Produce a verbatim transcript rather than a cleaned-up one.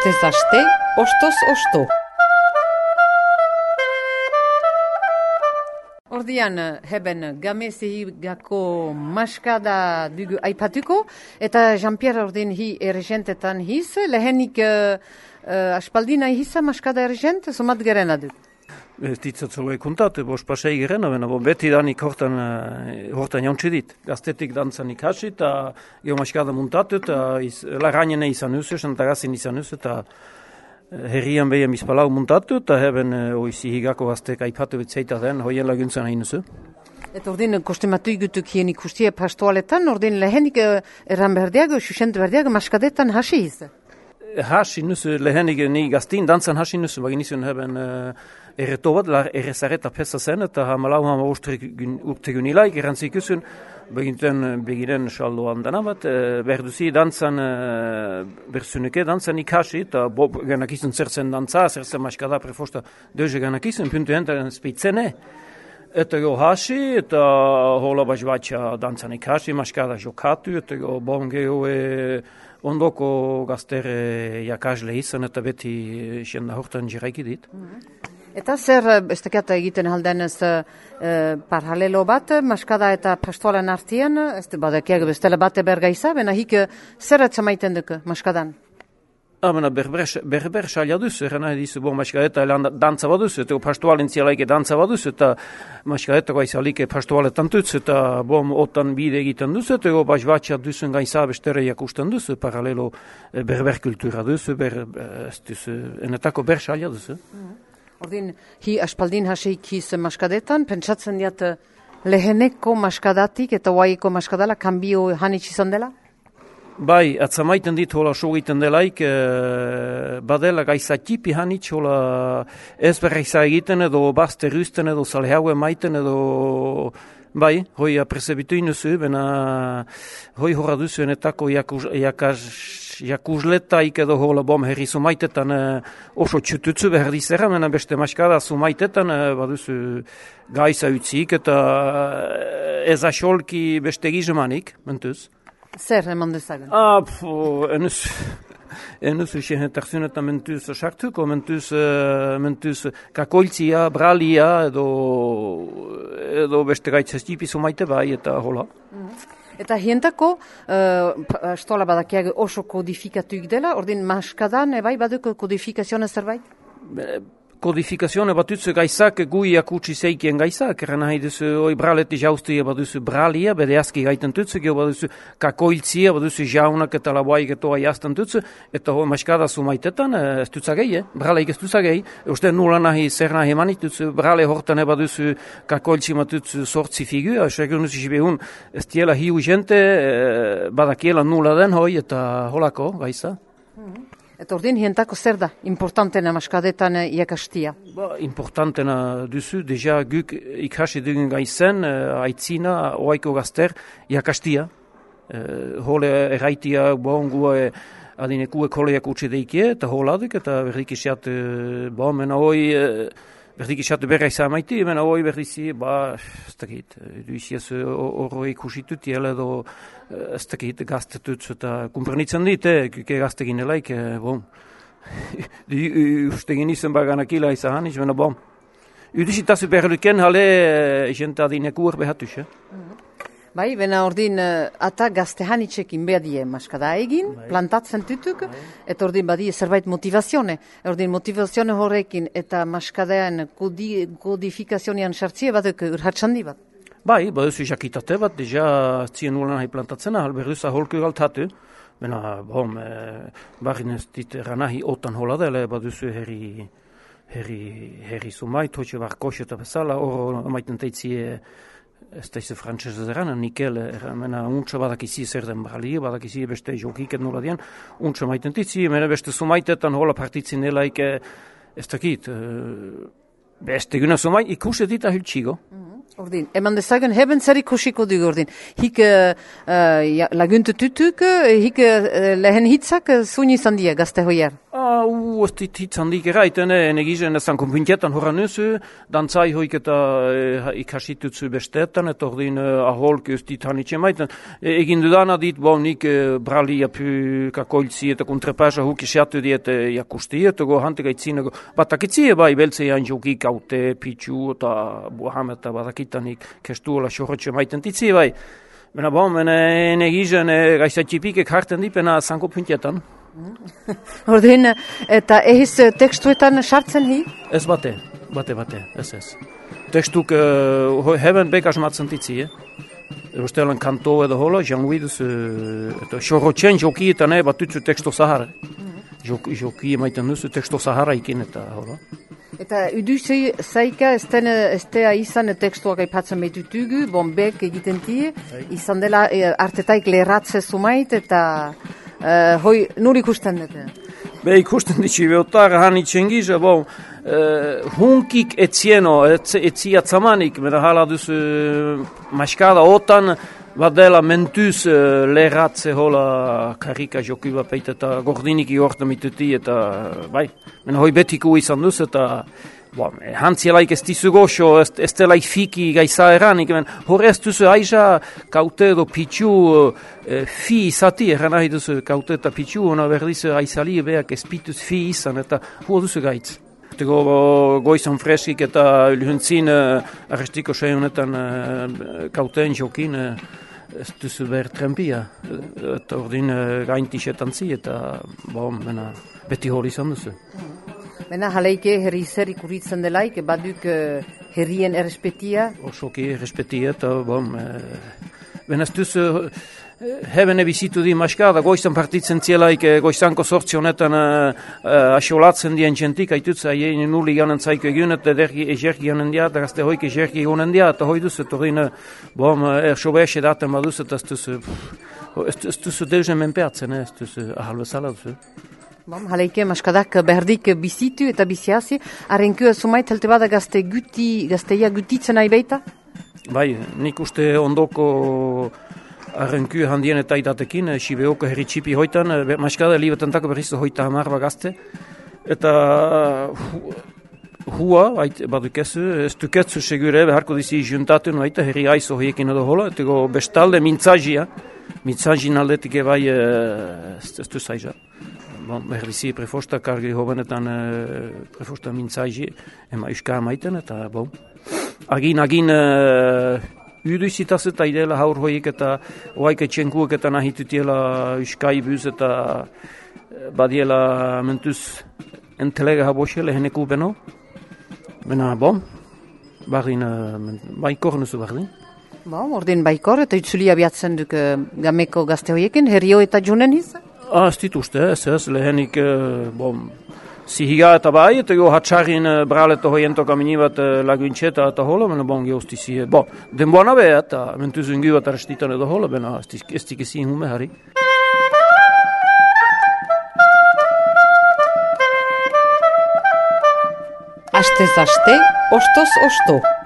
Astez aste, ostoz osto. Ordian, heben gamezihigako maskada dugu aipatuko, eta Jean-Pierre ordin hi erregentetan hiz, lehenik uh, uh, aspaldina hiza maskada erregent, somat gerena du. Ez ditzatzoloi kontate, bos pasei gerena, bena, bo beti danik hortan, hortan jauntsi dit. Gaztetik dantzanik hasi, eta geho maskada muntatu, eta larrainene izan usu, eta gazin izan usu, eta herrian behem izpalau muntatu, eta heben oizi higako gaztek aipatu bitzeita den, hoien laguntzen hain usu. Eta ordin kostematu igutuk hien ikustie pastoaletan, ordin lehenik erran berdiago, susent berdiago, maskadetan hasi hiz? Hasi nusu, lehenik ni gaztin dantzan hasi nusu, bagin izun heben erreto bat, errezareta pesa zen, eta hamalau hama urtegun ilaik, errantzik usun, beginten begiren saldoan dana bat, berduzi dantzan, berzunuke dantzan ikasi, eta bob ganak izun zertzen dantza, zertzen maskada prefosta deuze ganak izun, puntu entaren speitzene. Eta go hasi, eta hola bazbatxa dantzan ikasi, maskada jokatu, eta go bon geho ondoko gaztere jakasle izan, eta beti xenda hortan jiraiki dit. Eta zer, ez tekiat egiten haldenez uh, paralelo bat, maskada eta pastoalen artian, ez te badekiak bestela bate bergaiza, bena hik zer atzamaiten duk maskadan? Amena berber salia duzu, erana dizu, bo maskadeta dantza baduzu, eta pastoalen zialaike dantza baduzu, eta maskadeta gaizalike pastoaletan dutzu, eta bom otan bide egiten duzu, eta go bazbatxa duzun gaiza bestere jakusten duzu, paralelo berber kultura duzu, ber, ez duzu, enetako ber salia duzu. Ordin, hi aspaldin haseik hiz maskadetan, pentsatzen diat leheneko maskadatik eta oaiko maskadala kanbio hanitz izan dela? Bai, atzamaiten dit hola so egiten delaik, e, badela gaisa tipi hanitz hola ez berreiza egiten edo bazte rüsten edo salheaue maiten edo bai, hoi apresebitu inuzu, bena hoi horra duzu enetako jakuz, jakaz, jakusletaik edo hola bom herri sumaitetan e, oso txututzu behar dizera, mena beste maskada sumaitetan e, baduzu gaisa utzik eta ez asolki beste gizemanik, mentuz. Zer, eman dezagen? Ah, pfo, enuz, enuz uxen tarzionetan mentuz sartuko, mentuz, mentuz kakoiltzia, bralia, edo, edo beste gaitzaz tipizu maite bai, eta hola. Eta hientako, uh, astola badakiag oso kodifikatuik dela, ordin maskadan, ebai baduko kodifikazioa zerbait? Be, Kodifikazione batutzu gaizak guiak utzi zeikien gaizak, erran nahi duzu oi braleti jaustia baduzu bralia, bede aski gaiten tutzu, geho baduzu kakoiltzia, baduzu jaunak eta laboaik etoa jastan tutzu, eta hoi maskada sumaitetan, ez tutzagei, eh? Braleik ez tutzagei, uste nula nahi zer nahi manitutzu, brale hortan baduzu kakoiltzi matutzu sortzi figu, segun duzu jibehun, ez tiela hiu jente, badakiela nula den hoi, eta holako gaiza. Eta ordin, hientako zer da, importantena maskadetan iakastia? Ba, importantena duzu, deja guk ikasi dugun gaizen, aitzina, oaiko gazter, iakastia. E, hole erraitia, bon, gue adinekue koleak utxe deikie, eta holaduk, eta berdik isiat, bon, mena hoi, berdik isiat berra izan maiti, mena hoi berdizi, ba, ez dakit, duiziaz horroi kusitut, jela edo, ez dakit, gaztetut, eta kumpernitzen dit, kuke gaztekin elaik, bom. Ustegin izan baganakila izan, izan, bom. Udusitazu berluken, hale, jenta adineku urbehatuz, eh? Bai, bena ordin, ata gazte hanitzekin behadie maskada egin, bai. Plantatzen tutuk, bai. Eta ordin badie zerbait motivazione. Ordin motivazione horrekin eta maskadean kodi, kodifikazionian sartzie batuk urhatsandi bat. Bai, baduzu jakitate bat, deja zien ulan nahi plantatzen, alberduza holku galtatu. Bena, bom, e, barrin ez dit ranahi otan hola dela, baduzu herri, herri, herri sumait, hoxe barkoxe eta bezala, oro maiten teitzie, ez da izu frantzese zerana, nikel, mena untsa badakizi zer den brali, badakizi beste jokiket nola dian, untsa maiten titzi, mena beste sumaitetan hola partitzin elaik, ez dakit, beste guna sumait, ikuse dit ahiltxigo. Ordin, eman dezagen heben zer ikusiko dugu ordin. Hik uh, uh, laguntu tutuk, hik uh, lehen hitzak uh, zuni izan dia, gazte hoier. Ah, u, ez dit hitz handik eraiten, ene gizen ezan konpuntetan horan nuzu, dantzai hoik eta e, ikasitutzu bestetan, eta ordin e, aholk ez dit hanitxe maiten. E, egin dudana dit, bo, nik e, brali apu kakoiltzi eta kontrepasa huk isiatu diet e, jakusti, eta go hantik aitzine go, batakitzi bai, beltze jan joki kaute, pitzu, eta buham eta batakitanik kestu ola xorretxe maiten ditzi bai. Bena bon, ene gizen e, gaizatxipikek harten dipena zanko puntetan. Ordin, eta ehiz tekstuetan sartzen hi? Ez bate, bate, bate, ez ez. Tekstuk uh, heben bekas matzen ditzi, eh? Erostelen kanto edo hola, janguiduz, uh, eta xorrotxen jokietan eh, batutzu teksto zahara. Mm-hmm. Joki maiten duzu teksto zahara ikin eta hola. Eta uduzei zaika estea izan tekstuak aipatzen behitutugu, bombek egiten ti, izan dela e, artetaik leheratze zumait eta e, hoi nur ikusten dute? Be ikusten ditzi, beotar hanitzen giza, bon, e, hunkik etzieno, etzi atzamanik, mera hala duzu maskada otan, badela mentuz uh, leheratze hola karika jokuba peita eta gordinik iorta mituti eta bai, mena hoi betiku izan duz eta bon, hantzielaik ez dizu goxo, ez, ez delaik fiki gaiza eranik, hori ez duzu aiza kaute edo pitzu uh, fi izati, eran nahi duzu kaute eta pitzu, ona berdizu aizali beak ez pituz fi izan eta hua duzu gaitz. Tego goizan freskik eta lehuntzin uh, arrestiko seihonetan uh, kauteen jokin uh, ez duzu behar trempia. Eta ordin uh, gaintixetan zi eta bon, bena, beti hori izan duzu. Bena jaleike herri zer ikuritzen delaik, baduk uh, herrien errespetia? Osoki errespetia eta bon, uh, bena ez duzu Heben ebizitu di maskada, goizan partitzen zielaik, goizanko sortzi honetan uh, uh, asolatzen dien jentik, haitutza, hien nuli ganen zaiko egun, eta dergi egergi ganen dia, eta gazte hoik egergi ganen dia, eta hoi duzu, torin, bom, erxobe ese daten baduz, eta ez duzu, ez duzu deuzen menpeatzen, ez duzu, ahal bezala duzu. Bom, jaleike maskadak berdik bizitu eta biziazi, arrenku sumait helte bada gazte guti, gazteia gutitzen nahi beita? Bai, nik uste ondoko arrenku handien eta idatekin, Sibeoko herri txipi hoitan, maskada libetentako berriz hoita hamar bagazte, eta hua, badukezu, ez duketzu segure, beharko dizi juntatu noita herri aizo hoiekin edo hola, eta bestalde mintzazia, mintzazin aldetik ebai ez du zaiza. Bon, berrizi prefosta kargi hobenetan prefosta mintzazi, ema uska amaiten, eta bon, agin, agin, Uduizitaz eta idela haur hoik eta oaik etxenkuak eta nahitutiela uskai buz eta badiela mentuz entelega haboshe leheneku beno. Bena, bon, bardin, baikor nuzu bardin. Bon, ordin baikor eta utzuli abiatzen duk gameko gazte hoiekin, herrio eta junen hiz? Ah, ez dituzte, ez ez, lehenik, bon, Sihiga eta bai, eta jo hatxarin bralet hoiento kamini bat laguintxeta eta hola, mena bon geosti zi. Bo, denboana be, eta mentuzun gu bat arrestitan edo hola, bena ez tikizin hume hari. Astez aste, ostoz osto.